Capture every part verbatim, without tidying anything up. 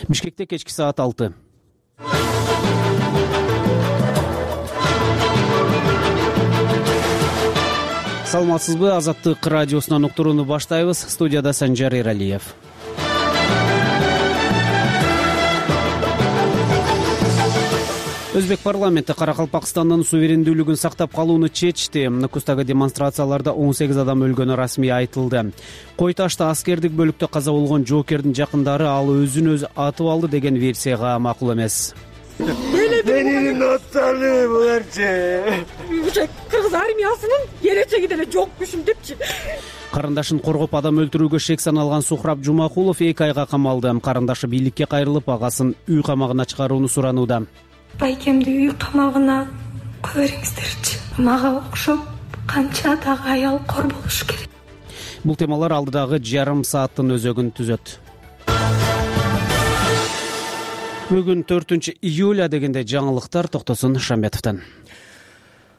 Бишкекте кечки саат алты. Саламатсызбы? Азаттык радиосунан уктурууну баштайбыз. Студияда Санжар Эралиев. Өзбек парламенти Каракалпакстандын суверендүүлүгүн сактап калууну чечти. Нукустагы демонстрацияларда он сегиз адам өлгөнү расмий айтылды. Кой Ташта аскердик бөлүктө каза болгон жоокердин жакындары ал өзүн өзү атып алды деген версияга макул эмес. Менин ноттары буларчы. Кыргыз армиясынын келечеги деле жокмушум депчи. Карындашын коргоп адам өлтүрүүгө шек саналган Сухраб Жумакулов эки айга камалды. Карындашы бийликке кайрылып, агасын үй камагына чыгарууну суранууда. Байкемди үй камагына кое бериңиздерчи. Мага окшоп канча дагы аял кор болуш керек. Бул темалар алдыдагы жарым сааттын өзөгүн түзөт. Бүгүн төртүнчү июль дегенде жаңылыктар Токтосун Шамбетовдон.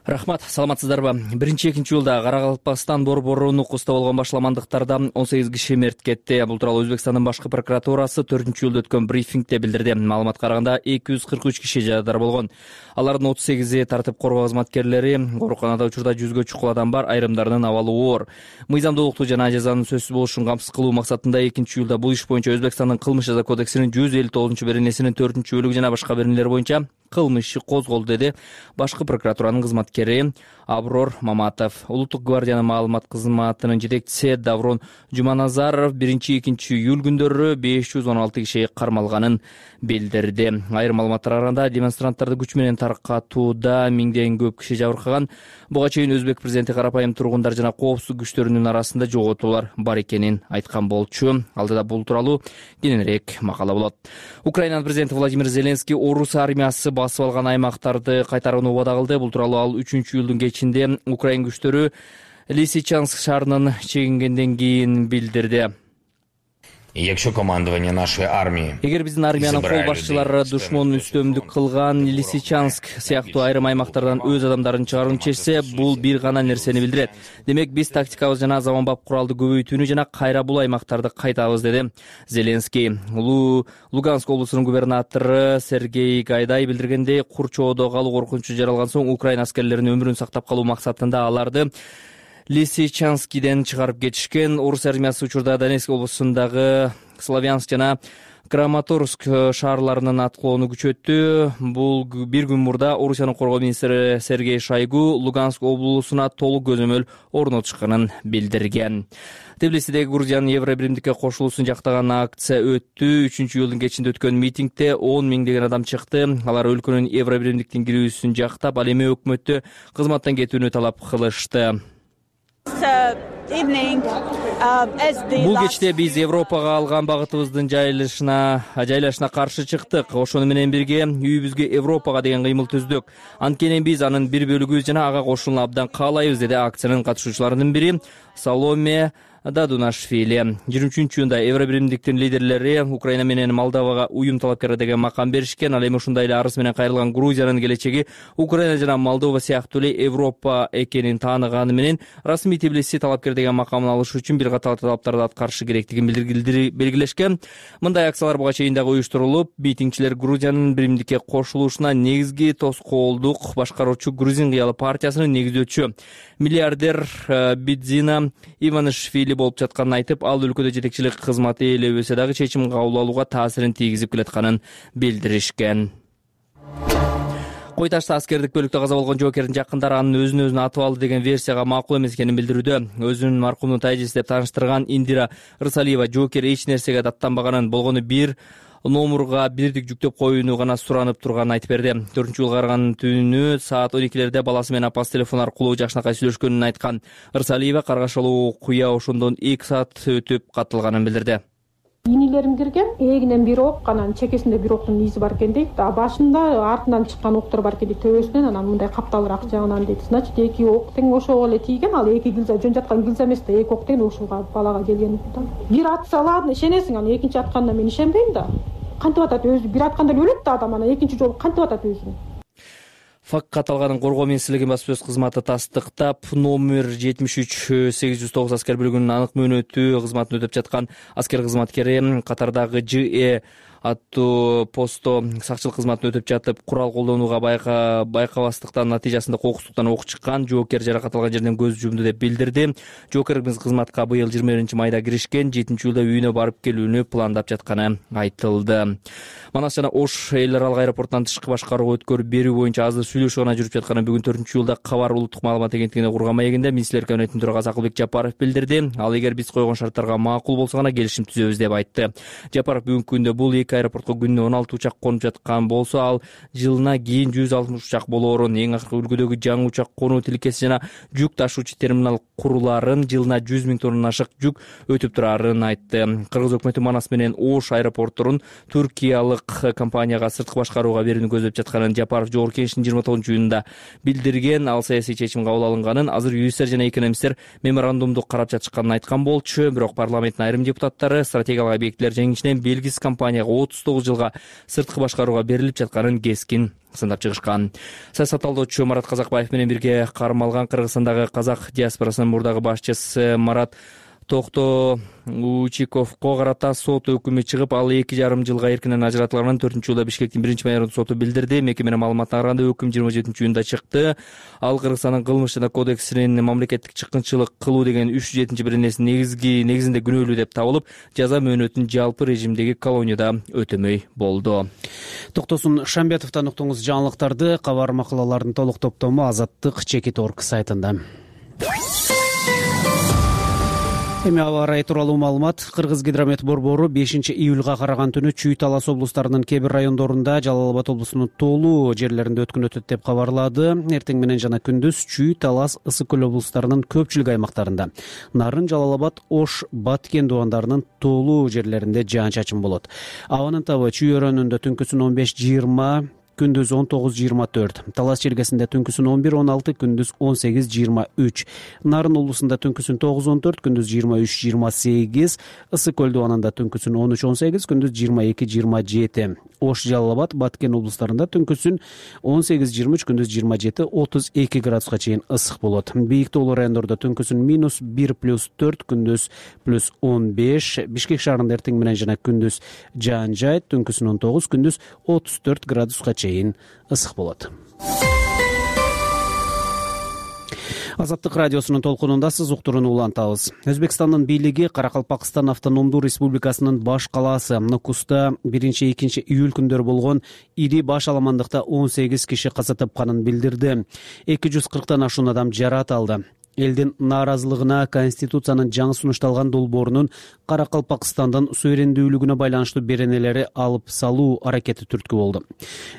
Рахмат, саламатсыздарбы? Биринчи экинчи июлда Каракалпакстан борбору Нукуста болгон башаламандыктарда он сегиз киши мерт кетти. Бул тууралуу Өзбекстандын башкы прокуратурасы төртүнчү июлда өткөн брифингде билдирди. Маалыматка караганда эки жүз кырк үч киши жарадар болгон. Алардын отуз сегизи тартип коргоо кызматкерлери, ооруканада учурда жүзгө чукул адам бар, айрымдарынын абалы оор. Мыйзамдуулукту жана жазанын сөзсүз болушун камсыз кылуу максатында экинчи июлда бул иш боюнча Өзбекстандын кылмыш жаза кодексинин жүз элүү тогузунчу беренесинин төртүнчү бөлүгү жана башка беренелер боюнча кылмыш иши козголду, деди башкы прокуратуранын кызматкери Аброр Маматов. Улуттук гвардиянын маалымат кызматынын жетекчиси Даврон Жуманазаров биринчи экинчи июль күндөрү беш жүз он алты киши кармалганын билдирди. Айрым маалыматтарга караганда демонстранттарды күч менен таркатууда миңден көп киши жабыркаган. Буга чейин Өзбек президенти карапайым тургундар жана коопсуздук күчтөрүнүн арасында жоготуулар бар экенин айткан болчу. Алдыда бул тууралуу кененирээк макала болот. Украинанын президенти Владимир Зеленский орус армиясы басып алган аймактарды кайтарууну убада кылды. Бул тууралуу ал үчүнчү июлдун кечинде Украин күчтөрү Лисичанск шаарынан чегингенден кийин билдирди. Якщо командование нашей армии Эгер биздин армиянын кол башчылары душман үстөмдүк кылган Лисичанск сыяктуу айрым аймактардан өз адамдарын чыгарууну чечсе, бул бир гана нерсени билдирет. Демек биз тактикабыз жана заманбап куралды көбөйтүүнү жана кайра бул аймактарды кайтабыз, деди Зеленский. Луганск облусунун губернатору Сергей Гайдай билдиргендей, Курчоодо калуу коркунучу жаралган соң Украина аскерлеринин өмүрүн сактап калуу максатында аларды Лисичанскиден чыгарып кетишкен. Орус армиясы учурда Донецк облусундагы Славянск жана Краматорск шаарларынын аткылоону күчөттү. Бул бир күн мурда Орусиянын коргоо министри Сергей Шойгу Луганск облусуна толук көзөмөл орнотушканын билдирген. Тбилисидеги Грузиянын Евробиримдикке кошулуусун жактаган акция өттү. үчүнчү июлдун кечинде өткөн митингде он миңдеген адам чыкты. Алар өлкөнүн Евробиримдиктин кирүүсүн жактап, ал эми өкмөттү кызматтан кетүүнү талап кылышты. Бул кечте биз Европага алган багытыбыздын жайлашына жайлашына каршы чыктык. Ошону менен бирге үйүбүзгө Европага деген кыймыл түздүк. Анткени биз анын бир бөлүгүбүз жана ага кошулууну абдан каалайбыз, деди акциянын катышуучуларынын бири Саломе Дадунашвили. жыйырма үчүнчү июнда Евробиримдиктин лидерлери Украина менен Молдовага уюм талапкери деген макам беришкен. Ал эми ушундай эле арыз менен кайрылган Грузиянын келечеги Украина жана Молдова сыяктуу эле Европа экенин тааныганы менен расмий Тбилиси талапкер деген макамын алыш үчүн бир катар талаптарды аткарышы керектигин белгилешкен. Мындай акциялар буга чейин дагы уюштурулуп, митингчилер Грузиянын биримдикке кошулушуна негизги тоскоолдук башкаруучу Грузин кыялы партиясынын негиздөөчү миллиардер Бидзина Иванишвили болуп жатканын айтып, ал өлкөдө жетекчилик кызматы ээлебесе дагы чечим кабыл алууга таасирин тийгизип келатканын билдиришкен. Кой Ташта аскердик бөлүктө каза болгон жоокердин жакындары анын өзүн өзүн атып алды деген версияга макул эмес экенин билдирүүдө. Өзүн маркумдун тайжеси деп тааныштырган Индира Рысалиева жоокер эч нерсеге даттанбаганын, болгону бир номурга бирдик жүктөп коюуну гана суранып турганын айтып берди. төртүнчү июлга караган түнү саат он экилерде баласы менен апасы телефон аркылуу жакшынакай сүйлөшкөнүн айткан. Рысалиева каргашалуу куя ошондон эки саат өтүп катталганын билдирди. Инилерим кирген, эгинен бир ок, анан чекесинде бир октун изи бар экен дейт. А башында артынан чыккан октор бар экен дейт, төбөсүнөн, анан мындай капталыраак жагынан дейт. Значит, эки ок тең ошого эле тийген, ал эки гилза жөн жаткан гилза эмес да, эки ок тең ушуга балага келген. Бир атса ладно, ишенесиң, анан экинчи атканда мен ишенбейм да. Кантип атат өзү? Бир атканда өлөт да адам, анан экинчи жолу кантип атат өзүн? Факт каталганын коргоо министрлигинин баспасөз кызматы тастыктап, номер жетимиш үч сегиз жүз тогуз аскер бөлүгүнүн анык мөөнөтү кызматын өтөп жаткан аскер кызматкери катардагы Ж Э аттуу постто сакчылык кызматын өтөп жатып курал колдонууга байкабастыктан натыйжасында кокустуктан ок чыккан. Жоокер жаракат алган жерден көз жумду деп билдирди. Жоокер кызматка быйыл жыйырма биринчи майда киришкен, жетинчи июлда үйүнө барып келүүнү пландап жатканы айтылды. Манас жана Ош эл аралык аэропортунан тышкы башкарууга өткөрүп берүү боюнча азыр сүйлөшүү гана жүрүп жатканын бүгүн төртүнчү июлда Кабар улуттук маалымат агенттигине курган маегинде министрлер кабинетинин төрагасы Акылбек Жапаров билдирди. Ал эгер биз койгон шарттарга макул болсо гана келишим түзөбүз деп айтты. Жапаров бүгүнкү күндө бул эки аэропортко күнүнө он алты учак конуп жаткан болсо, ал жылына кийин жүз алтымыш учак болоорун, эң акыркы үлгүдөгү жаңы учак конуу тилкеси жана жүк ташуучу терминал курулаарын, жылына жүз миң тоннадан ашык жүк өтүп турарын айтты. Кыргыз өкмөтү Манас менен Ош аэропортторун туркиялык компанияга сырткы башкарууга берүүнү көздөп жатканын Жапаров жогорку кеңештин жыйырма тогузунчу июнунда билдирген. Ал саясий чечим кабыл алынганын, азыр юристтер жана экономисттер меморандумду карап жатышканын айткан болчу. Бирок парламенттин айрым депутаттары стратегиялык объектилер жайы ичинен белгисиз компанияга отуз тогуз жылга сырткы башкарууга берилип жатканын кескин сындап чыгышкан. Саясат талдоочу Марат Казакбаев менен бирге кармалган Кыргызстандагы казак диаспорасынын мурдагы башчысы Марат Токтоучиковго карата сот өкүмү чыгып, ал эки жарым жылга эркинен ажыратылганын төртүнчү июлда Бишкектин биринчи майордук соту билдирди. Мекеменин маалыматына караганда өкүм жыйырма жетинчи июнда чыкты. Ал Кыргызстандын кылмыш жана кодексинин мамлекеттик чыккынчылык кылуу деген үч жүз жетинчи беренесинин негизги негизинде күнөөлүү деп табылып, жаза мөөнөтүн жалпы режимдеги колонияда өтөмөй болду. Токтосун Шамбетовдон уктуңуз жаңылыктарды. Кабар макалалардын толук топтому Азаттык чекит орг сайтында. Эми аба ырайы тууралуу маалымат. Кыргыз гидромет борбору бешинчи июлга караган түнү Чүй, Талас облустарынын кээ бир райондорунда, Жалал Абад облусунун тоолуу жерлеринде өткөн өтөт деп кабарлады. Эртең менен жана күндүз Чүй, Талас, Ысык көл облустарынын көпчүлүк аймактарында, Нарын, Жалал Абад, Ош, Баткен дубандарынын тоолуу жерлеринде жаан-чачын болот. Абанын табы Чүй өрөөнүндө түнкүсүн он беш жыйырма, күндүз он тогуз жыйырма төрт, Талас чергесинде түнкүсүн он бир он алты, күндүз он сегиз жыйырма үч, Нарын улусунда түнкүсүн тогуз он төрт, күндүз жыйырма үч жыйырма сегиз, Ысык көл дубанында түнкүсүн он үч он сегиз, күндүз жыйырма эки жыйырма жети, Ош, Жалал Абад, Баткен облустарында түнкүсүн он сегиз жыйырма үч, күндүз жыйырма жети отуз эки градуска чейин ысык болот. Бийик тоолуу райондордо түнкүсүн минус бир плюс төрт, күндүз плюс он беш, Бишкек шаарында эртең менен жана күндүз жаан жайт, түнкүсүн он тогуз, күндүз отуз төрт градуска чейин ысык болот. Азаттык радиосунун толкунундасыз, уктурууну улантабыз. Өзбекстандын бийлиги Каракалпакстан автономдуу республикасынын баш калаасы Нукуста биринчи экинчи июль күндөрү болгон ири баш аламандыкта он сегиз киши каза тапканын билдирди. эки жүз кырктан ашуун адам жаракат алды. Элдин нааразылыгына Конституциянын жаңы сунушталган долбоорунун Каракалпакстандын суверендүүлүгүнө байланыштуу беренелери алып салуу аракети түрткү болду.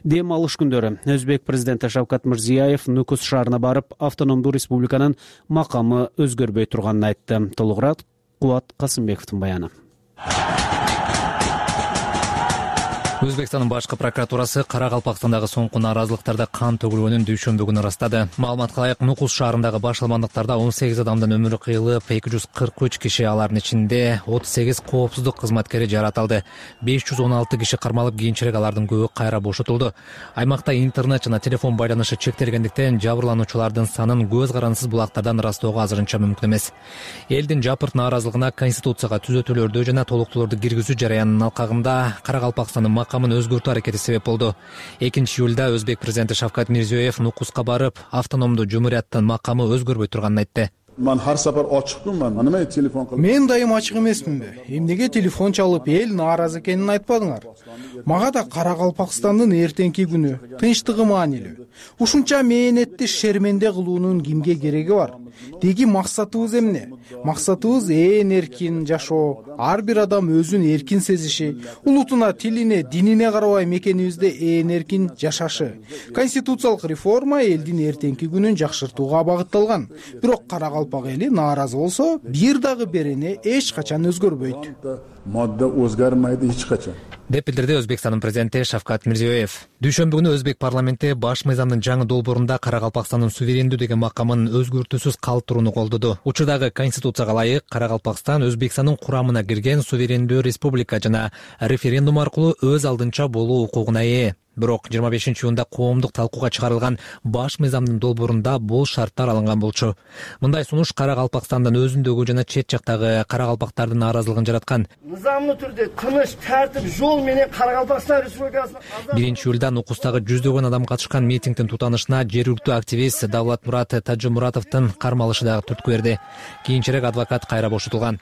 Дем алыш күндөрү Өзбек президенти Шавкат Мирзиёев Нукус шаарына барып, автономдуу республиканын макамы өзгөрбөй турганын айтты. Толугураак Кубат Касымбековдун баяны. Өзбекстандын башкы прокуратурасы Каракалпакстандагы соңку нааразылыктарда кан төгүлгөнүн дүйшөмбү күнү ырастады. Маалыматка ылайык, Нукус шаарындагы баш аламандыктарда он сегиз адамдын өмүрү кыйылып, эки жүз кырк үч киши, алардын ичинде отуз сегиз коопсуздук кызматкери жаракат алды. беш жүз он алты киши кармалып, кийинчерээк алардын көбү кайра бошотулду. Аймакта интернет жана телефон байланышы чектелгендиктен жабырлануучулардын санын көз карандысыз булактардан ырастоого азырынча мүмкүн эмес. Элдин жапырт нааразылыгына Конституцияга түзөтүүлөрдү жана толуктуулорду киргизүү жараянынын алкагында Каракалпакстандын макамын өзгөртүү аракети себеп болду. экинчи июлда Өзбек президенти Шавкат Мирзиёев Нукуска барып, автономдуу жумурияттын макамы өзгөрбөй турганын айтты. Мен дайым ачык эмесминби? Эмнеге телефон чалып, эл нааразы экенин айтпадыңар? Мага да Каракалпакстандын эртеңки күнү тынчтыгы маанилүү. Ушунча мээнетти шерменде кылуунун кимге кереги бар? Деги максатыбыз эмне? Максатыбыз ээн эркин жашоо, ар бир адам өзүн эркин сезиши, улутуна, тилине, динине карабай мекенибизде ээн эркин жашашы. Конституциялык реформа элдин эртеңки күнүн жакшыртууга багытталган. Бирок Каракалпак эли нааразы болсо, бир дагы берене эч качан өзгөрбөйт. Модда өзгөрмөйдү эч качан, деп билдирди Өзбекстандын президенти Шавкат Мирзиёев. Дүйшөмбү күнү Өзбек парламенти баш мыйзамдын жаңы долбоорунда Каракалпакстандын суверендүү деген макамын өзгөртүүсүз калтырууну колдоду. Учурдагы Конституцияга ылайык Каракалпакстан Өзбекстандын курамына кирген суверендүү республика жана референдум аркылуу өз алдынча болуу укугуна ээ. Бирок жыйырма бешинчи июнда коомдук талкууга чыгарылган баш мыйзамдын долбоорунда бул шарттар алынган болчу. Мындай сунуш Кара Калпакстандын өзүндөгү жана чет жактагы кара калпактардын нааразылыгын жараткан. Нызамдуу түрдө тыныч, тартип жол менен Кара Калпакстан Республикасынын биринчи июлда Нукустагы жүздөгөн адам катышкан митингдин тутанышына жергиликтүү активист Давлатмурат Тажымуратовдун кармалышы дагы түрткү берди. Кийинчерээк адвокат кайра бошотулган.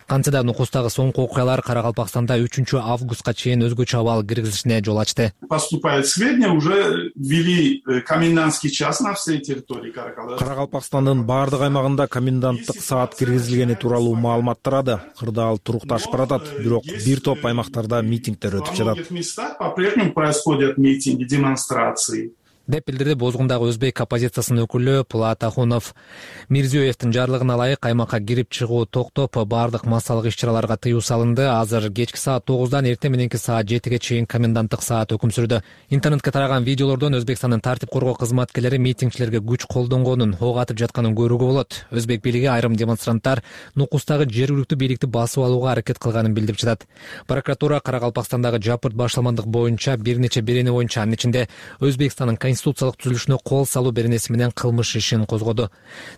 Кантсе да Нукустагы соңку окуялар Кара Калпакстанда үчүнчү августка чейин өзгөчө абал киргизилишине жол ачты. Поступают сведения, уже ввели комендантский час на всей территории Кара Калпакстандын баардык аймагында коменданттык саат киргизилгени тууралуу маалымат тарады. Кырдаал турукташып баратат, бирок бир топ аймактарда митингдер өтүп жатат. В многих местах по-прежнему происходят митинги, демонстрации. деп билдирди Бозгундагы өзбек оппозициясынын өкүлү Пулат Ахунов. Мирзиёевдин жарлыгына ылайык аймакка кирип чыгуу токтоп, баардык массалык иш-чараларга тыюу салынды. Азыр кечки саат тогуздан эртең мененки саат жетиге чейин коменданттык саат өкүм сүрдү. Интернетке тараган видеолордон Өзбекстандын тартип коргоо кызматкерлери митингчилерге күч колдонгонун, ок атып жатканын көрүүгө болот. Өзбек бийлиги айрым демонстранттар Нукустагы жергиликтүү бийликти басып алууга аракет кылганын билдирип жатат. Прокуратура Кара Калпакстандагы жапырт башаламандык боюнча бир нече берене боюнча, анын ичинде Өзбекстандын конституциялык түзүлүшүнө кол салуу беренеси менен кылмыш ишин козгоду.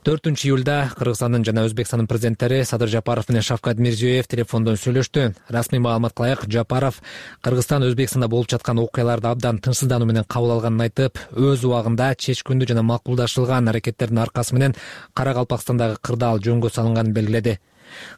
төртүнчү июлда Кыргызстандын жана Өзбекстандын президенттери Садыр Жапаров менен Шавкат Мирзиёев телефондон сүйлөштү. Расмий маалыматка ылайык, Жапаров Кыргызстан Өзбекстанда болуп жаткан окуяларды абдан тынчсыздануу менен кабыл алганын айтып, өз убагында чечкүндүү жана макулдашылган аракеттердин аркасы менен Кара Калпакстандагы кырдаал жөнгө салынганын белгиледи.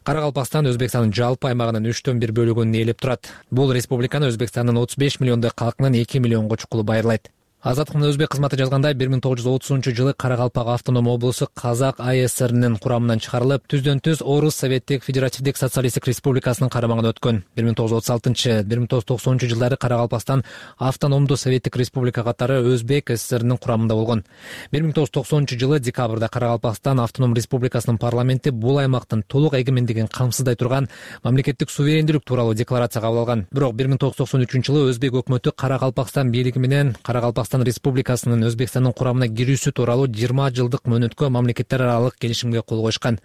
Кара Калпакстан Өзбекстандын жалпы аймагынын үчтөн бир бөлүгүн ээлеп турат. Бул республиканы Өзбекстандын отуз беш миллиондой калкынын эки миллионго чукулу байырлайт. Азаттыктын өзбек кызматы жазгандай, бир миң тогуз жүз отузунчу жылы Кара Калпак автоном облусу Казак АСРнин курамынан чыгарылып, түздөн түз Орус Советтик Федеративдик Социалисттик Республикасынын карамагына өткөн. бир миң тогуз жүз отуз алтынчы — бир миң тогуз жүз токсонунчу жылдары Кара Калпакстан автономдуу Советтик Республика катары Өзбек ССРнин курамында болгон. бир миң тогуз жүз токсонунчу жылы декабрда Кара Калпакстан автоном республикасынын парламенти бул аймактын толук эгемендигин камсыздай турган мамлекеттик суверендүүлүк тууралуу декларация кабыл алган. Бирок бир миң тогуз жүз токсон үчүнчү жылы Өзбек өкмөтү Кара Калпакстан бийлиги менен Кара Калпакстан Республикасынын Өзбекстандын курамына кирүүсү тууралуу жыйырма жылдык мөөнөткө мамлекеттер аралык келишимге кол коюшкан.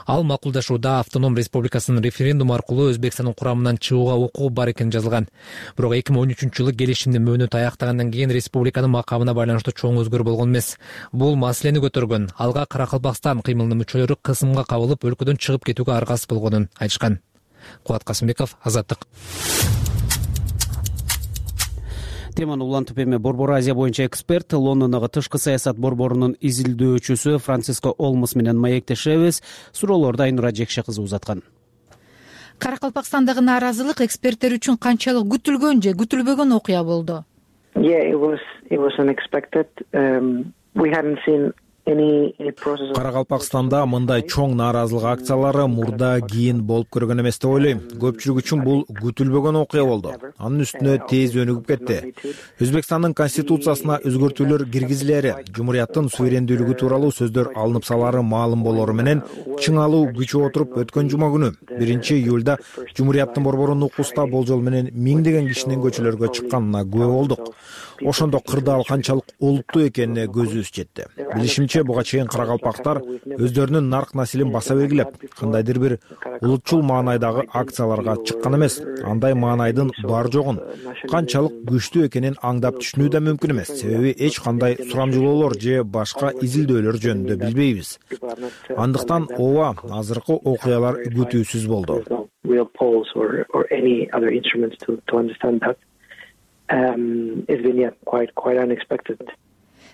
Ал макулдашууда автоном республикасынын референдум аркылуу Өзбекстандын курамынан чыгууга укугу бар экени жазылган. Бирок эки миң он үчүнчү жылы келишимдин мөөнөтү аяктагандан кийин республиканын макамына байланыштуу чоң өзгөрүү болгон эмес. Бул маселени көтөргөн, алга Кара Калпакстан кыймылынын мүчөлөрү кысымга кабылып, өлкөдөн чыгып кетүүгө аргасыз болгонун айтышкан. Кубат Касымбеков, Азаттык. Теманы улантып эми Борбор Азия боюнча эксперт, Лондондогу тышкы саясат борборунун изилдөөчүсү Франциско Олмос менен маектешебиз. Суроолорду Айнура Жекше кызы узаткан. Кара Калпакстандагы нааразылык эксперттер үчүн канчалык күтүлгөн же күтүлбөгөн окуя болду? Yeah, it was it was unexpected. Um, we hadn't seen Кара Калпакстанда мындай чоң нааразылык акциялары мурда кийин болуп көргөн эмес деп ойлойм. Көпчүлүк үчүн бул күтүлбөгөн окуя болду. Анын үстүнө тез өнүгүп кетти. Өзбекстандын конституциясына өзгөртүүлөр киргизилери, жумурияттын суверендүүлүгү тууралуу сөздөр алынып салары маалым болору менен чыңалуу күчүп отуруп өткөн жума күнү биринчи июлда жумурияттын борбору Нукуста болжол менен миңдеген кишинин көчөлөргө чыкканына күбө болдук. Ошондо кырдаал канчалык олуттуу экенине көзүбүз жетти. Билишимче, буга чейин каракалпактар өздөрүнүн нарк насилин баса белгилеп, кандайдыр бир улутчул маанайдагы акцияларга чыккан эмес. Андай маанайдын бар жогун, канчалык күчтүү экенин аңдап түшүнүү да мүмкүн эмес. Себеби эч кандай сурамжылоолор же башка изилдөөлөр жөнүндө билбейбиз. Андыктан ооба, азыркы окуялар күтүүсүз болду. Um, it's been yeah, quite quite unexpected.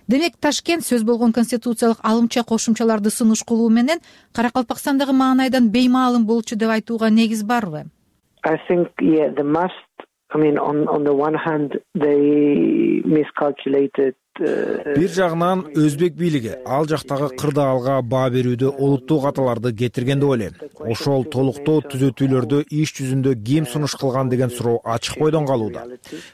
Демек, Ташкент сөз болгон конституциялык алымча кошумчаларды сунуш кылуу менен Каракалпакстандагы маанайдан беймаалым болчу деп айтууга негиз барбы? I think yeah, the must. I mean, on on the one hand, they miscalculated. Бир жагынан өзбек бийлиги ал жактагы кырдаалга баа берүүдө олуттуу каталарды кетирген деп ойлойм. Ошол толуктоо түзөтүүлөрдү иш жүзүндө ким сунуш кылган деген суроо ачык бойдон калууда.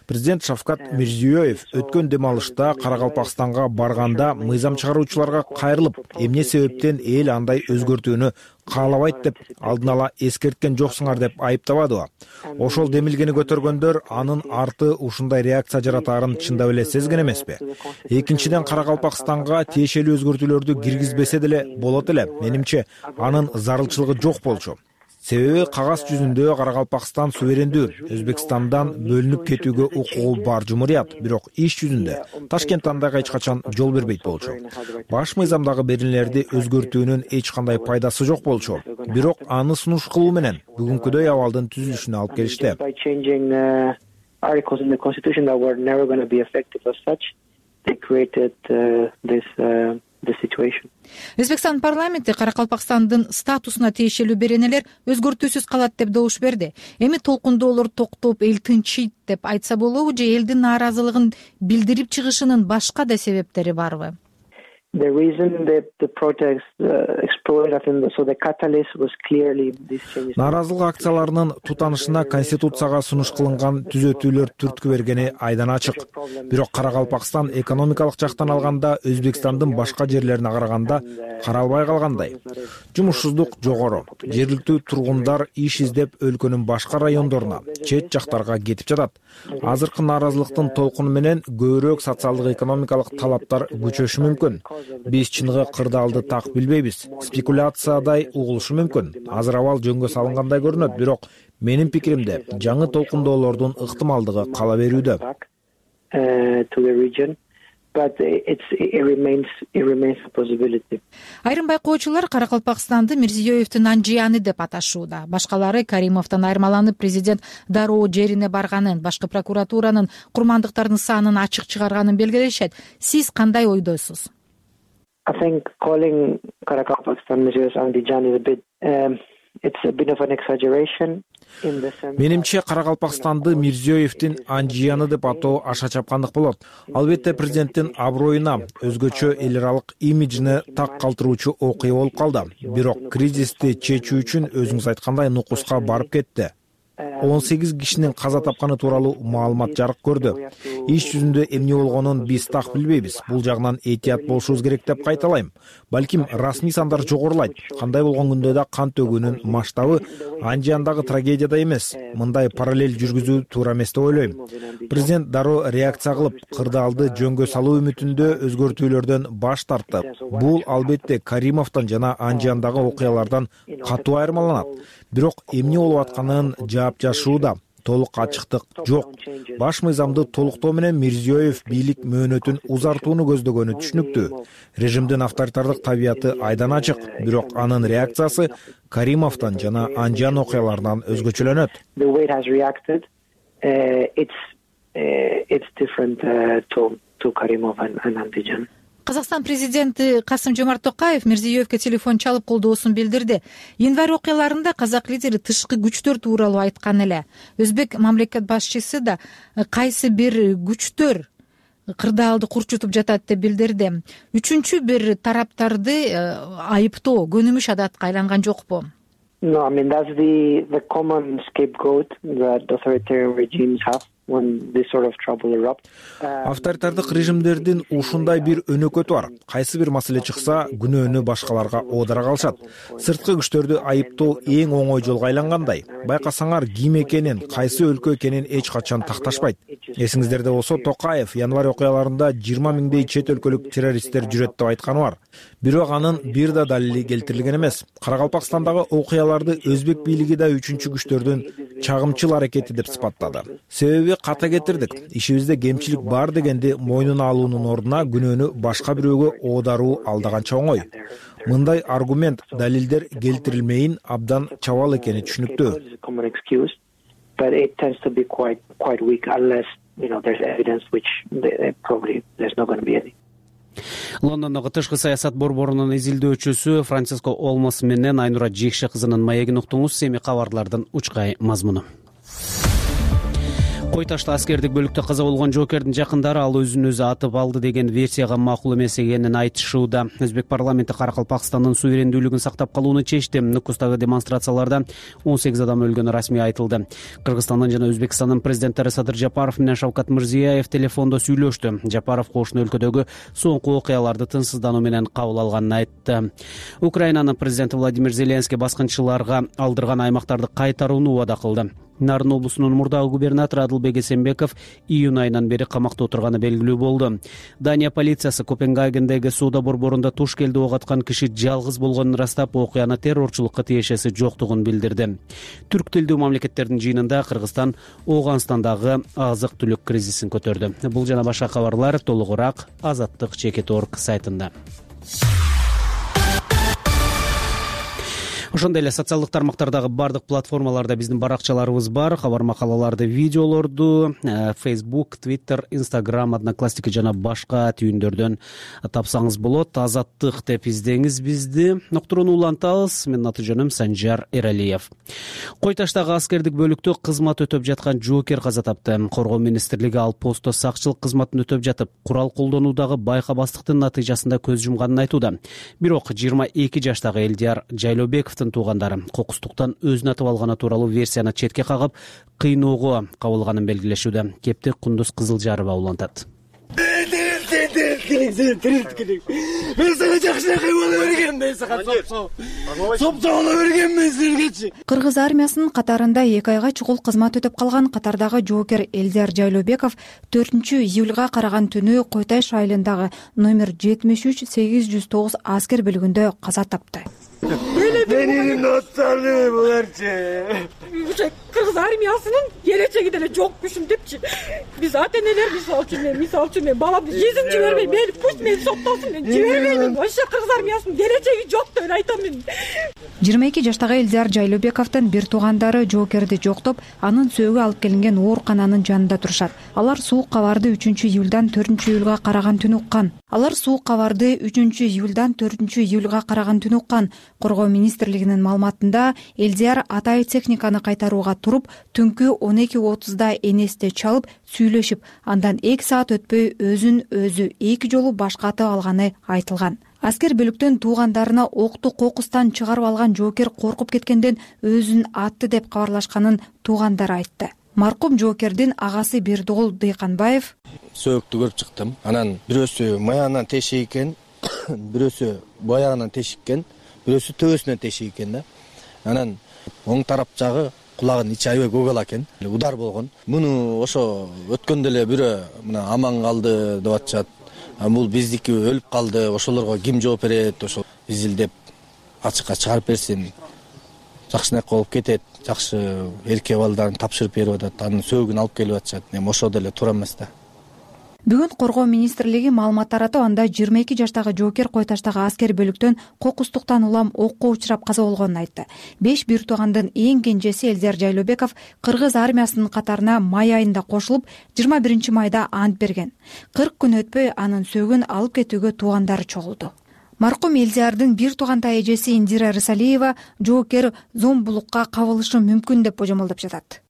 Президент Шавкат Мирзиёев өткөн дем алышта Каракалпакстанга барганда мыйзам чыгаруучуларга кайрылып, эмне себептен эл андай өзгөртүүнү каалабайт деп алдын ала эскерткен жоксуңар деп айыптабадыбы? Ошол демилгени көтөргөндөр анын арты ушундай реакция жаратаарын чындап эле сезген эмеспи? Экинчиден, Каракалпакстанга тиешелүү өзгөртүүлөрдү киргизбесе деле болот эле. Менимче, анын зарылчылыгы жок болчу. себеби кагаз жүзүндө Каракалпакстан суверендүү, Өзбекстандан бөлүнүп кетүүгө укугу бар жумурият, бирок иш жүзүндө Ташкент андайга эч качан жол бербейт болчу. Баш мыйзамдагы беренелерди өзгөртүүнүн эч кандай пайдасы жок болчу. Бирок аны сунуш кылуу менен бүгүнкүдөй абалдын түзүлүшүнө алып келишти. Articles in the constitution that were never going to be effective as such, they created uh, this uh, this situation. Өзбекстан парламенти Каракалпакстандын статусуна тиешелүү беренелер өзгөртүүсүз калат деп добуш берди. Эми толкундоолор токтоп, эл тынчыйт деп айтса болобу же элдин нааразылыгын билдирип чыгышынын башка да себептери барбы? The reason that the protests uh, exploded, I think, so the catalyst was clearly this change. Нааразылык акцияларынын тутанышына Конституцияга сунуш кылынган түзөтүүлөр түрткү бергени айдан ачык. Бирок Каракалпакстан экономикалык жактан алганда Өзбекстандын башка жерлерине караганда каралбай калгандай. Жумушсуздук жогору. Жергиликтүү тургундар иш издеп өлкөнүн башка райондоруна, чет жактарга кетип жатат. Азыркы нааразылыктын толкуну менен көбүрөөк социалдык экономикалык талаптар күчөшү мүмкүн. Биз чыныгы кырдаалды так билбейбиз. Спекуляциядай угулушу мүмкүн. Азыр абал жөнгө салынгандай көрүнөт, бирок менин пикиримде жаңы толкундоолордун ыктымалдыгы кала берүүдө. Айрым байкоочулар Каракалпакстанды Мирзиёевдин анжияны деп аташууда. Башкалары Каримовдон айырмаланып президент дароо жерине барганын, башкы прокуратуранын курмандыктардын санын ачык чыгарганын белгилешет. Сиз кандай ойдосуз? I think calling Karakalpakstan Mirziyoyev Andijan is a bit, um, it's a bit of an exaggeration. Менимче Каракалпакстанды Мирзиёевдин анжияны деп атоо аша чапкандык болот. Албетте президенттин аброюна, өзгөчө эл аралык имиджине так калтыруучу окуя болуп калды. Бирок кризисти чечүү үчүн өзүңүз айткандай нукуска барып кетти. он сегиз кишинин каза тапканы тууралуу маалымат жарык көрдү. Иш жүзүндө эмне болгонун биз так билбейбиз. Бул жагынан этият болушубуз керек деп кайталайм. Балким расмий сандар жогорулайт. Кандай болгон күндө да кан төгүүнүн масштабы анжияндагы трагедияда эмес. Мындай параллель жүргүзүү туура эмес деп ойлойм. Президент дароо реакция кылып, кырдаалды жөнгө салуу үмүтүндө өзгөртүүлөрдөн баш тартты. Бул албетте Каримовдон жана анжияндагы окуялардан катуу айырмаланат. Бирок эмне болуп атканын жаап жашууда толук ачыктык жок. Баш мыйзамды толуктоо менен Мирзиёев бийлик мөөнөтүн узартууну көздөгөнү түшүнүктүү. Режимдин авторитардык табияты айдан ачык, бирок анын реакциясы Каримовдон жана анжиян окуяларынан өзгөчөлөнөт. Казакстан президенти Касым-Жомарт Токаев Мирзиёевге телефон чалып колдоосун билдирди. Январь окуяларында казак лидери тышкы күчтөр тууралуу айткан эле. Өзбек мамлекет башчысы да кайсы бир күчтөр кырдаалды курчутуп жатат деп билдирди. Үчүнчү бир тараптарды айыптоо көнүмүш адатка айланган жокпу? No, I mean that's the the common scapegoat that authoritarian regimes have. Авторитардык режимдердин ушундай бир өнөкөтү бар. Кайсы бир маселе чыкса, күнөөнү башкаларга оодара калышат. Сырткы күчтөрдү айыптоо эң оңой жолго айлангандай. Байкасаңар ким экенин, кайсы өлкө экенин эч качан такташпайт. Эсиңиздерде болсо, Токаев январь окуяларында жыйырма миңдей чет өлкөлүк террористтер жүрөт деп айтканы бар. Бирок анын бир да далили келтирилген эмес. Каракалпакстандагы окуяларды өзбек бийлиги да үчүнчү күчтөрдүн чагымчыл аракети деп сыпаттады. Себеби ката кетирдик. Ишибизде кемчилик бар дегенди мойнуна алуунун ордуна күнөөнү башка бирөөгө оодаруу алдаганча оңой. Мындай аргумент, далилдер келтирилмейин абдан чабал экени түшүнүктүү. Лондондогу тышкы саясат борборунун изилдөөчүсү Франциско Олмос менен Айнура Жекше кызынын маегин уктуңуз. Эми кабарлардын учкай мазмуну. Кой ташты аскердик бөлүктө каза болгон жоокердин жакындары ал өзүн өзү атып алды деген версияга макул эмес экенин айтышууда. Өзбек парламенти Каракалпакстандын суверендүүлүгүн сактап калууну чечти. Нукустагы демонстрацияларда он сегиз адам өлгөнү расмий айтылды. Кыргызстандын жана Өзбекстандын президенттери Садыр Жапаров менен Шавкат Мирзиёев телефондо сүйлөштү. Жапаров кошуна өлкөдөгү соңку окуяларды тынчсыздануу менен кабыл алганын айтты. Украинанын президенти Владимир Зеленский баскынчыларга алдырган аймактарды кайтарууну убада кылды. Нарын облусунун мурдагы губернатору Адылбек Эсенбеков июнь айынан бери камакта отурганы белгилүү болду. Дания полициясы Копенгагендеги соода борборунда туш келди ок аткан киши жалгыз болгонун ырастап, окуяны террорчулукка тиешеси жоктугун билдирди. Түрк тилдүү мамлекеттердин жыйынында Кыргызстан Ооганстандагы азык-түлүк кризисин көтөрдү. Бул жана башка кабарлар толугураак азаттык чекит точка орг сайтында. Ошондой эле социалдык тармактардагы бардык платформаларда биздин баракчаларыбыз бар. Кабар макалаларды, видеолорду Facebook, Twitter, Instagram, Одноклассники жана башка түйүндөрдөн тапсаңыз болот. Азаттык деп издеңиз бизди. Ноктуруну улантабыз. Менин аты жөнүм Санжар Эралиев. Кой таштагы аскердик бөлүктө кызмат өтөп жаткан жоокер каза тапты. Коргоо министрлиги ал постто сакчылык кызматын өтөп жатып, курал колдонуудагы байкабастыктын натыйжасында көз жумганын айтууда. Бирок жыйырма эки жаштагы Элдияр Жайлообеков туугандары кокустуктан өзүн атып алганы тууралуу версияны четке кагып, кыйноого кабылганын белгилешүүдө. Кепти Кундуз Кызылжарова улантат. Мен сага жакшы кыйбала бергем, мен сага сопсоголо бергенмин силергечи. Кыргыз армиясынын катарында эки айга чукул кызмат өтөп калган катардагы жоокер Элдияр Жайлообеков төртүнчү июлга караган түнү Койташ айылындагы номер жетимиш үч сегиз жүз тогуз аскер бөлүгүндө каза тапты. Менин досторум буларчы. Кыргыз армиясынын келечеги деле жок күшүм депчи. Биз ата энелер мисалы үчүн мен мисалы үчүн мен баламды жизнь жибербейм. Мени пусть мени соттосун, мен жибербейм. Вообще Кыргыз армиясынын келечеги жок деп айтам мен. жыйырма эки жаштагы Элдияр Жайлообековдун бир туугандары жоокерди жоктоп, анын сөөгү алып келинген оорукананын жанында турушат. Алар суук кабарды үчүнчү июлдан төртүнчү июлга караган түнү уккан. Алар суук кабарды үчүнчү июлдан төртүнчү июлга караган түнү уккан. Коргоо министрлигинин маалыматында Элдияр атайы техниканы кайтарууга туруп, түнкү он эки отузда энесте чалып, сүйлөшүп, андан эки саат өтпөй өзүн өзү эки жолу башкатып алганы айтылган. Аскер бөлүктөн туугандарына окту кокустан чыгарып алган жоокер коркуп кеткенден өзүн атты деп кабарлашканын туугандары айтты. Маркум жоокердин агасы Бердогул Дыйканбаев: Сөөктү көрүп чыктым. Анан бирөөсү маягынан тешик экен, бирөөсү баягынан тешик экен, бирөөсү төбөсүнөн тешик экен да. Анан оң тарап жагы кулагынын ичи аябай көгала экен. Удар болгон. Муну ошо өткөндө эле бирөө мына аман калды деп атышат. Бул биздики өлүп калды, ошолорго ким жооп берет, ошо изилдеп ачыкка чыгарып берсин. Жакшынакай болуп кетет, жакшы эркек балдарын тапшырып берип атат, анын сөөгүн алып келип атышат. Эми ошо деле туура эмес да. Бүгүн Коргоо министрлиги маалымат таратып, анда жыйырма эки жаштагы жоокер Койташтагы аскер бөлүктөн кокустуктан улам окко учурап каза болгонун айтты. Беш бир туугандын эң кенжеси Элдияр Жайлообеков Кыргыз армиясынын катарына май айында кошулуп, жыйырма биринчи майда ант берген. кырк күн өтпөй анын сөөгүн алып кетүүгө туугандары чогулду. Маркум Элдиярдын бир туугантай эжеси Индира Рысалиева жоокер зомбулукка кабылышы мүмкүн деп божомолдоп жатат.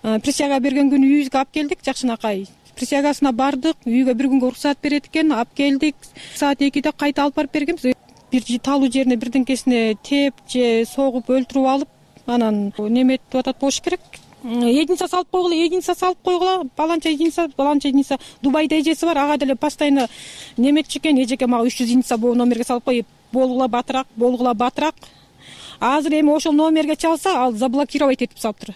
Присяга берген күнү үйүбүзгө алып келдик, жакшынакай. Присягасына бардык, үйгө бир күнгө уруксат берет экен, алып келдик. Саат экиде кайта алып барып бергенбиз. Бир талуу жерине бирдеңкесине теп же согуп өлтүрүп алып, анан неметип атат болуш керек. Единица салып койгула, единица салып койгула, баланча единица, баланча единица. Дубайда эжеси бар, ага деле постоянно неметчи экен, эжеке мага үч жүз единица бул номерге салып кой, болгула батыраак, болгула батыраак. Азыр эми ошол номерге чалса, ал заблокировать этип салыптыр.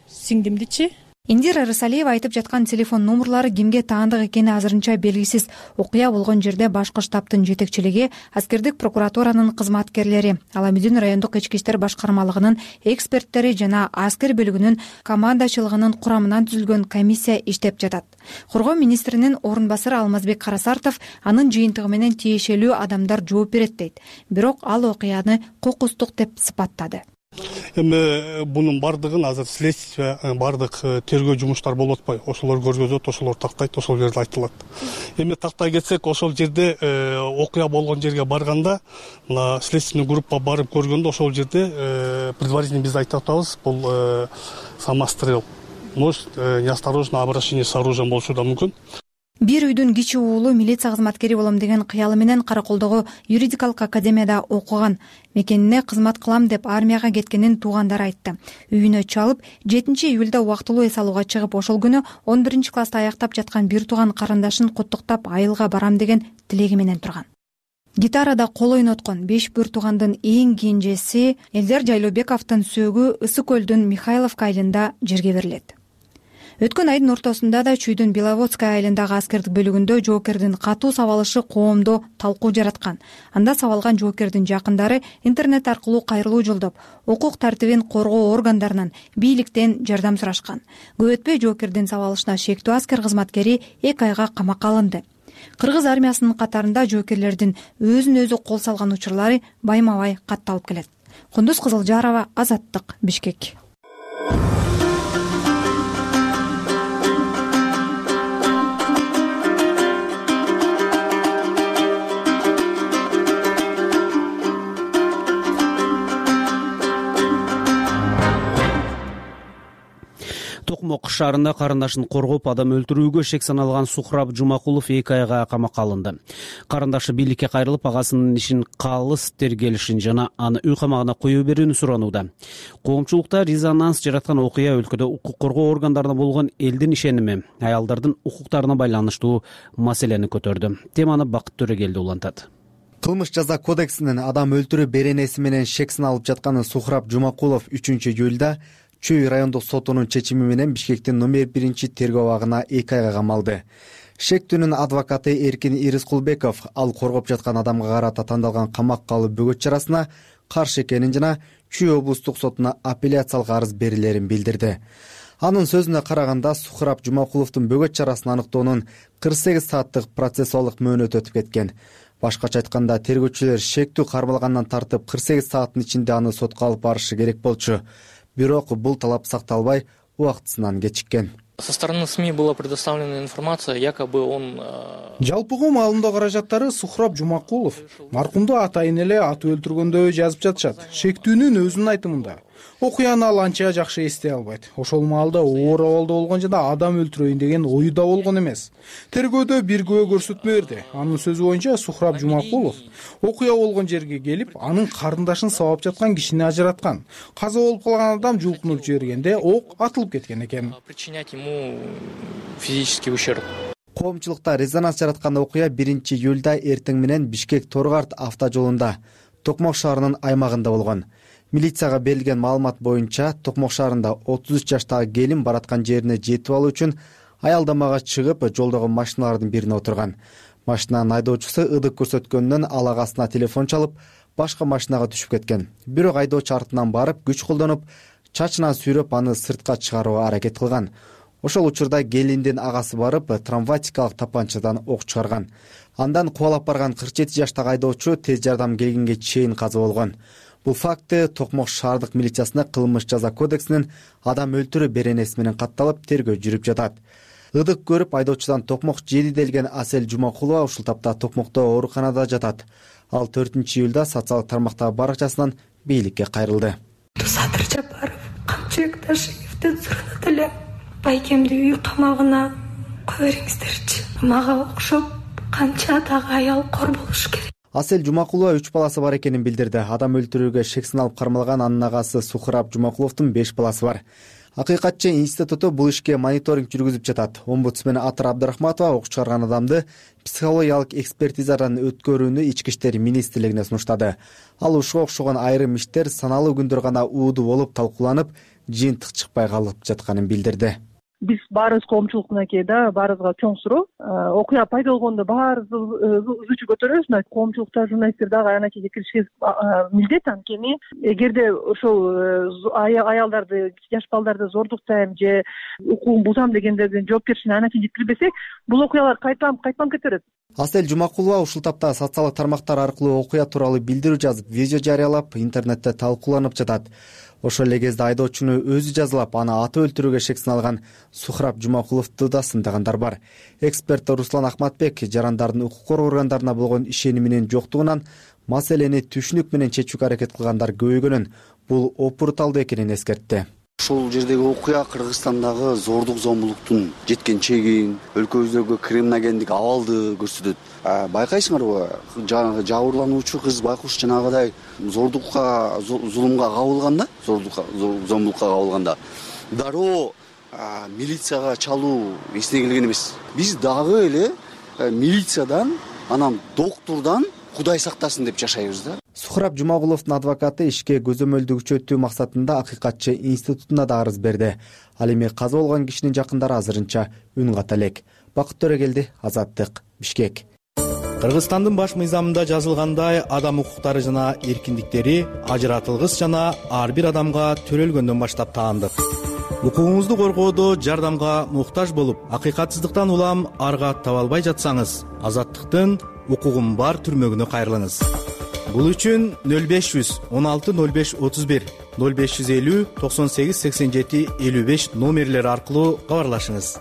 Сиңдимдичи. Индира Рысалиева айтып жаткан телефон номерлары кимге таандык экени азырынча белгисиз. Окуя болгон жерде башкы штабтын жетекчилиги, аскердик прокуратуранын кызматкерлери, Аламүдүн райондук ички иштер башкармалыгынын эксперттери жана аскер бөлүгүнүн командачылыгынын курамынан түзүлгөн комиссия иштеп жатат. Коргоо министринин орун басары Алмазбек Карасартов анын жыйынтыгы менен тиешелүү адамдар жооп берет дейт. Бирок ал окуяны кокустук деп сыпаттады. Эми бунун бардыгын азыр следствие, бардык тергөө жумуштар болуп атпайбы? Ошолор көргөзөт, ошолор тактайт, ошол жерде айтылат. Эми тактай кетсек, ошол жерде окуя болгон жерге барганда, мына следственный группа барып көргөндө ошол жерде предварительно биз айтып атабыз, бул самострел. Может, неосторожное обращение с оружием болушу да мүмкүн. Бир үйдүн кичи уулу милиция кызматкери болом деген кыялы менен Караколдогу юридикалык академияда окуган. Мекенине кызмат кылам деп армияга кеткенин туугандары айтты. Үйүнө чалып, жетинчи июлда убактылуу эс алууга чыгып, ошол күнү он биринчи класста аяктап жаткан бир тууган карындашын куттуктап айылга барам деген тилеги менен турган. Гитарада кол ойноткон беш бүр туугандын эң кенжеси Элдер Жайлообековдун сөөгү Ысык көлдүн Михайловка айылында жерге берилет. Өткөн айдын ортосунда да Чүйдүн Беловодская айылындагы аскердик бөлүгүндө жоокердин катуу сабалышы коомдо талкуу жараткан. Анда сабалган жоокердин жакындары интернет аркылуу кайрылуу жолдоп, укук тартибин коргоо органдарынан, бийликтен жардам сурашкан. Көп өтпөй жоокердин сабалышына шектүү аскер кызматкери эки айга камакка алынды. Кыргыз армиясынын катарында жоокерлердин өзүн өзү кол салган учурлары байма-бай катталып келет. Кундуз Кызылжарова, Азаттык, Бишкек. Токмок шаарында карындашын коргоп адам өлтүрүүгө шек саналган Сухраб Жумакулов эки айга камакка алынды. Карындашы бийликке кайрылып, агасынын ишин калыс тергелишин жана аны үй камагына коюу берүүнү суранууда. Коомчулукта резонанс жараткан окуя өлкөдө укук коргоо органдарына болгон элдин ишеними, аялдардын укуктарына байланыштуу маселени көтөрдү. Теманы Бакыт Төрөгелди улантат. Кылмыш жаза кодексинин адам өлтүрүү беренеси менен шек саналып жатканы Сухраб Жумакулов үчүнчү июлда Чүй райондук сотунун чечими менен Бишкектин номер биринчи тергөө абагына эки айга камалды. Шектүүнүн адвокаты Эркин Ирискулбеков ал коргоп жаткан адамга карата тандалган камакка калуу бөгөт чарасына каршы экенин жана Чүй облустук сотуна апелляциялык арыз берилерин билдирди. Анын сөзүнө караганда Сухраб Жумакуловдун бөгөт чарасын аныктоонун кырк сегиз сааттык процессуалдык мөөнөтү өтүп кеткен. Башкача айтканда, тергөөчүлөр шектүү кармалгандан тартып кырк сегиз сааттын ичинде аны сотко алып барышы керек болчу. Бирок бул талап сакталбай, убактысынан кечиккен. Со стороны СМИ была предоставлена информация, якобы он... Жалпыгы маалымдоо каражаттары Сухраб Жумакулов маркумду атайын эле атып өлтүргөндөй жазып жатышат. Шектүүнүн өзүнүн айтымында. Окуяны ал анча жакшы эстей албайт. Ошол маалда оор абалда болгон жана адам өлтүрөйүн деген ою да болгон эмес. Тергөөдө бир күбө көрсөтмө берди. Анын сөзү боюнча Сухраб Жумакулов окуя болгон жерге келип, анын карындашын сабап жаткан кишини ажыраткан. Каза болуп калган адам жулкунуп жибергенде ок атылып кеткен экен. Причинять ему физический ущерб. Коомчулукта резонанс жараткан окуя биринчи июлда эртең менен Бишкек Торгарт автожолунда Токмок шаарынын аймагында болгон. Милицияга берилген маалымат боюнча Токмок шаарында отуз үч жаштагы келин бараткан жерине жетип алуу үчүн аялдамага чыгып, жолдогу машиналардын бирине отурган. Машинанын айдоочусу ыдык көрсөткөндөн ал агасына телефон чалып, башка машинага түшүп кеткен. Бирок айдоочу артынан барып, күч колдонуп, чачынан сүйрөп аны сыртка чыгарууга аракет кылган. Ошол учурда келиндин агасы барып, травматикалык тапанчадан ок чыгарган. Андан кубалап барган кырк жети жаштагы айдоочу тез жардам келгенге чейин каза болгон. Бул факты Токмок шаардык милициясына кылмыш жаза кодексинин адам өлтүрүү беренеси менен катталып, тергөө жүрүп жатат. Ыдык көрүп айдоочудан Токмок жети делген Асель Жумакулова ушул тапта Токмокто ооруканада жатат. Ал төртүнчү июлда социалдык тармактагы баракчасынан бийликке кайрылды. Садыр Жапаров Камчыбек Ташиевден суранат эле. Байкемди үй камагына кое бериңиздерчи. Мага окшоп канча дагы аял кор болуш керек. Асель Жумакулова үч баласы бар экенин билдирди. Адам өлтүрүүгө шек саналып кармалган анын агасы Сухраб Жумакуловдун беш баласы бар. Акыйкатчы институту бул ишке мониторинг жүргүзүп жатат. Омбудсмен Атыр Абдрахматова ок чыгарган адамды психологиялык экспертизадан өткөрүүнү Ички иштер министрлигине сунуштады. Ал ушуга окшогон айрым иштер саналуу күндөр гана уудуу болуп талкууланып, жыйынтык чыкпай калып жатканын билдирди. Биз баарыбыз коомчулук мынакей да, баарыбызга чоң суроо. Окуя пайда болгондо баарыбыз үзүүчү көтөрөбүз. Коомчулукта журналисттер дагы анакейге кириши милдет. Анткени эгерде ошол аялдарды, жаш балдарды зордуктайм же укугун бузам дегендердин жоопкерчилигине анакей жеткирбесек, бул окуялар кайталанып кайталанып кетет. Асель Жумакулова ушул тапта социалдык тармактар аркылуу окуя тууралуу билдирүү жазып, видео жарыялап, интернетте талкууланып жатат. Ошол эле кезде айдоочуну өзү жазалап, аны атып өлтүрүүгө шек саналган Сухраб Жумакуловду да сындагандар бар. Эксперт Руслан Ахматбек жарандардын укук коргоо органдарына болгон ишениминин жоктугунан маселени түшүнүк менен чечүүгө аракет кылгандар көбөйгөнүн, бул опурталдуу экенин эскертти. Ошол жердеги окуя Кыргызстандагы зордук зомбулуктун жеткен чегин, өлкөбүздөгү криминогендик абалды көрсөтөт. Байкайсыңарбы, жанагы жабырлануучу кыз байкуш жанагыдай зордукка, зулумга кабылганда, зордукка, зомбулукка кабылганда дароо милицияга чалуу эсине келген эмес. Биз дагы эле милициядан, анан доктурдан кудай сактасын деп жашайбыз да. Сухраб Жумагуловдун адвокаты ишке көзөмөлдү күчөтүү максатында Акыйкатчы институтуна да арыз берди. Ал эми каза болгон кишинин жакындары азырынча үн ката элек. Бакыт Төрөгелди, Азаттык, Бишкек. Кыргызстандын баш мыйзамында жазылгандай, адам укуктары жана эркиндиктери ажыратылгыс жана ар бир адамга төрөлгөндөн баштап таандык. Укугуңузду коргоодо жардамга муктаж болуп, акыйкатсыздыктан улам арга таба албай жатсаңыз, Азаттыктын укугум бар түрмөгүнө кайрылыңыз. Бул үчүн нөл беш жүз он алты нөл беш отуз бир, нөл беш жүз элүү токсон сегиз сексен жети элүү беш номерлери аркылуу кабарлашыңыз.